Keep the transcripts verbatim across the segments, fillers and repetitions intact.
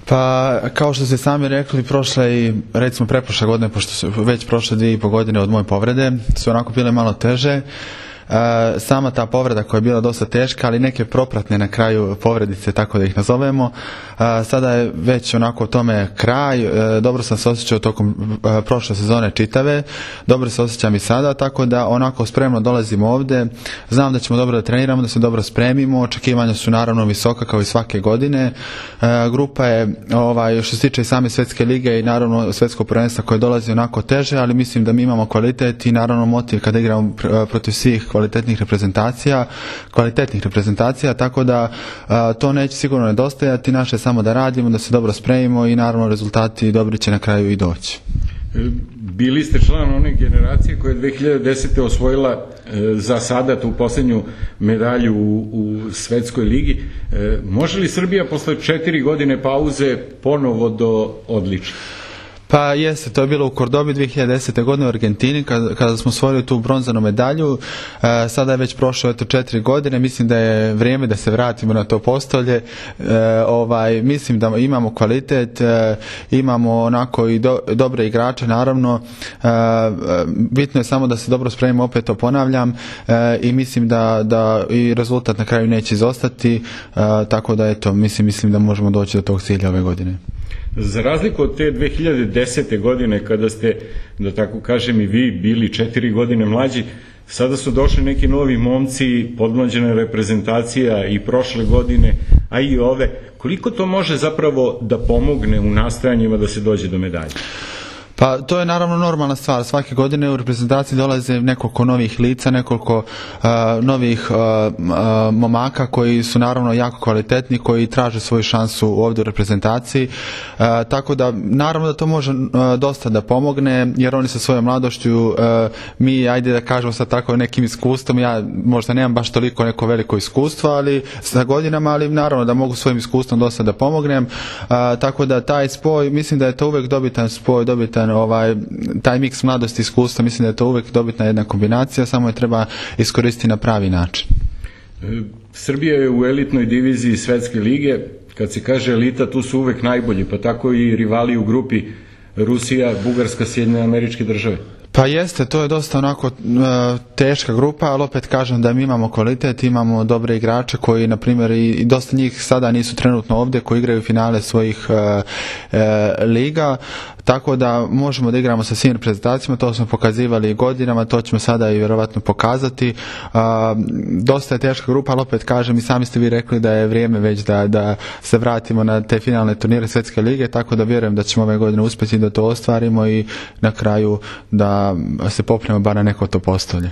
Pa, kao što ste sami rekli, prošle i recimo preprošle godine, pošto su već prošle dvije i po godine od moje povrede, su onako bile malo teže. E, sama ta povreda koja je bila dosta teška, ali neke propratne na kraju povredice, tako da ih nazovemo, e, sada je već onako tome kraj. E, dobro sam se osjećao tokom e, prošle sezone čitave, dobro se osjećam i sada, tako da onako spremno dolazimo ovde. Znam da ćemo dobro da treniramo, da se dobro spremimo, očekivanja su naravno visoka kao i svake godine. E, grupa je, ovaj, što se tiče i same svetske lige i naravno svetskog prvenstva koje dolazi onako teže, ali mislim da mi imamo kvalitet i naravno motiv kada igramo protiv svih kvalitetnih reprezentacija, kvalitetnih reprezentacija, tako da a, to neće sigurno nedostajati, naše samo da radimo, da se dobro spremimo i naravno rezultati dobri će na kraju i doći. Bili ste član one generacije koja je dve hiljade desete. osvojila e, za sada tu poslednju medalju u, u svetskoj ligi. E, može li Srbija posle četiri godine pauze ponovo do odličja? Pa jeste, to je bilo u Kordobi dve hiljade desete. godine u Argentini kada, kada smo osvojili tu bronzanu medalju. E, sada je već prošlo eto četiri godine, mislim da je vrijeme da se vratimo na to postolje. E, ovaj, mislim da imamo kvalitet, e, imamo onako i do, dobre igrače naravno. E, bitno je samo da se dobro spremimo, opet to ponavljam, e, i mislim da, da i rezultat na kraju neće izostati, e, tako da eto, mislim, mislim da možemo doći do tog cilja ove godine. Za razliku od te dve hiljade desete. godine, kada ste, da tako kažem, i vi bili četiri godine mlađi, sada su došli neki novi momci, podmlađena reprezentacija i prošle godine, a i ove. Koliko to može zapravo da pomogne u nastojanjima da se dođe do medalje? Pa to je naravno normalna stvar. Svake godine u reprezentaciji dolaze nekoliko novih lica, nekoliko uh, novih uh, uh, momaka koji su naravno jako kvalitetni, koji traže svoju šansu ovdje u reprezentaciji. Uh, tako da naravno da to može uh, dosta da pomogne, jer oni sa svojom mladošću, uh, mi ajde da kažemo sad tako nekim iskustvom, ja možda nemam baš toliko neko veliko iskustvo, ali sa godinama, ali naravno da mogu svojim iskustvom dosta da pomognem. Uh, tako da taj spoj, mislim da je to uvek dobitan spoj, dobitan ovaj, taj miks mladosti i iskustva, mislim da je to uvek dobitna jedna kombinacija, samo je treba iskoristiti na pravi način. Srbija je u elitnoj diviziji svetske lige, kad se kaže elita, tu su uvek najbolji, pa tako i rivali u grupi Rusija, Bugarska, Sjedinjene Američke Države. Pa jeste, to je dosta onako uh, teška grupa, ali opet kažem da mi imamo kvalitet, imamo dobre igrače koji, na primjer, i, i dosta njih sada nisu trenutno ovdje, koji igraju finale svojih uh, uh, liga, tako da možemo da igramo sa svim reprezentacijama, to smo pokazivali godinama, to ćemo sada i vjerovatno pokazati. Uh, dosta je teška grupa, ali opet kažem, i sami ste vi rekli da je vrijeme već da, da se vratimo na te finalne turnire Svetske lige, tako da vjerujem da ćemo ove godine uspjeti da to ostvarimo i na kraju da se popnemo bar na neko to postolje.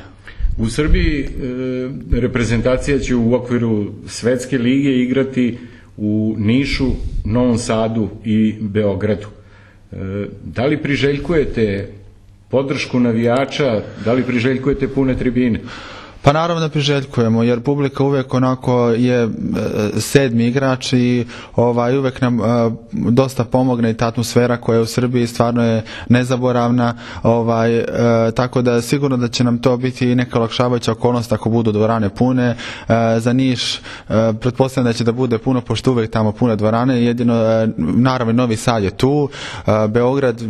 U Srbiji e, reprezentacija će u okviru Svetske lige igrati u Nišu, Novom Sadu i Beogradu. E, da li priželjkujete podršku navijača, da li priželjkujete pune tribine? Pa naravno da priželjkujemo, jer publika uvijek onako je e, sedmi igrač i ovaj, uvijek nam e, dosta pomogne i ta atmosfera koja je u Srbiji stvarno je nezaboravna, ovaj, e, tako da sigurno da će nam to biti neka olakšavajuća okolnost ako budu dvorane pune. E, za Niš e, pretpostavljam da će da bude puno, pošto uvijek tamo pune dvorane, jedino e, naravno Novi Sad je tu, e, Beograd, e,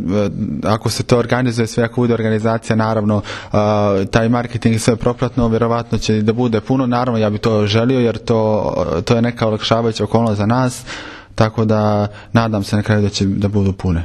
ako se to organizuje sve, ako bude organizacija, naravno e, taj marketing sve propratno, vjerovatno će da bude puno, naravno ja bih to želio, jer to, to je neka olakšavajuća okolnost za nas, tako da nadam se na kraju da će da budu pune.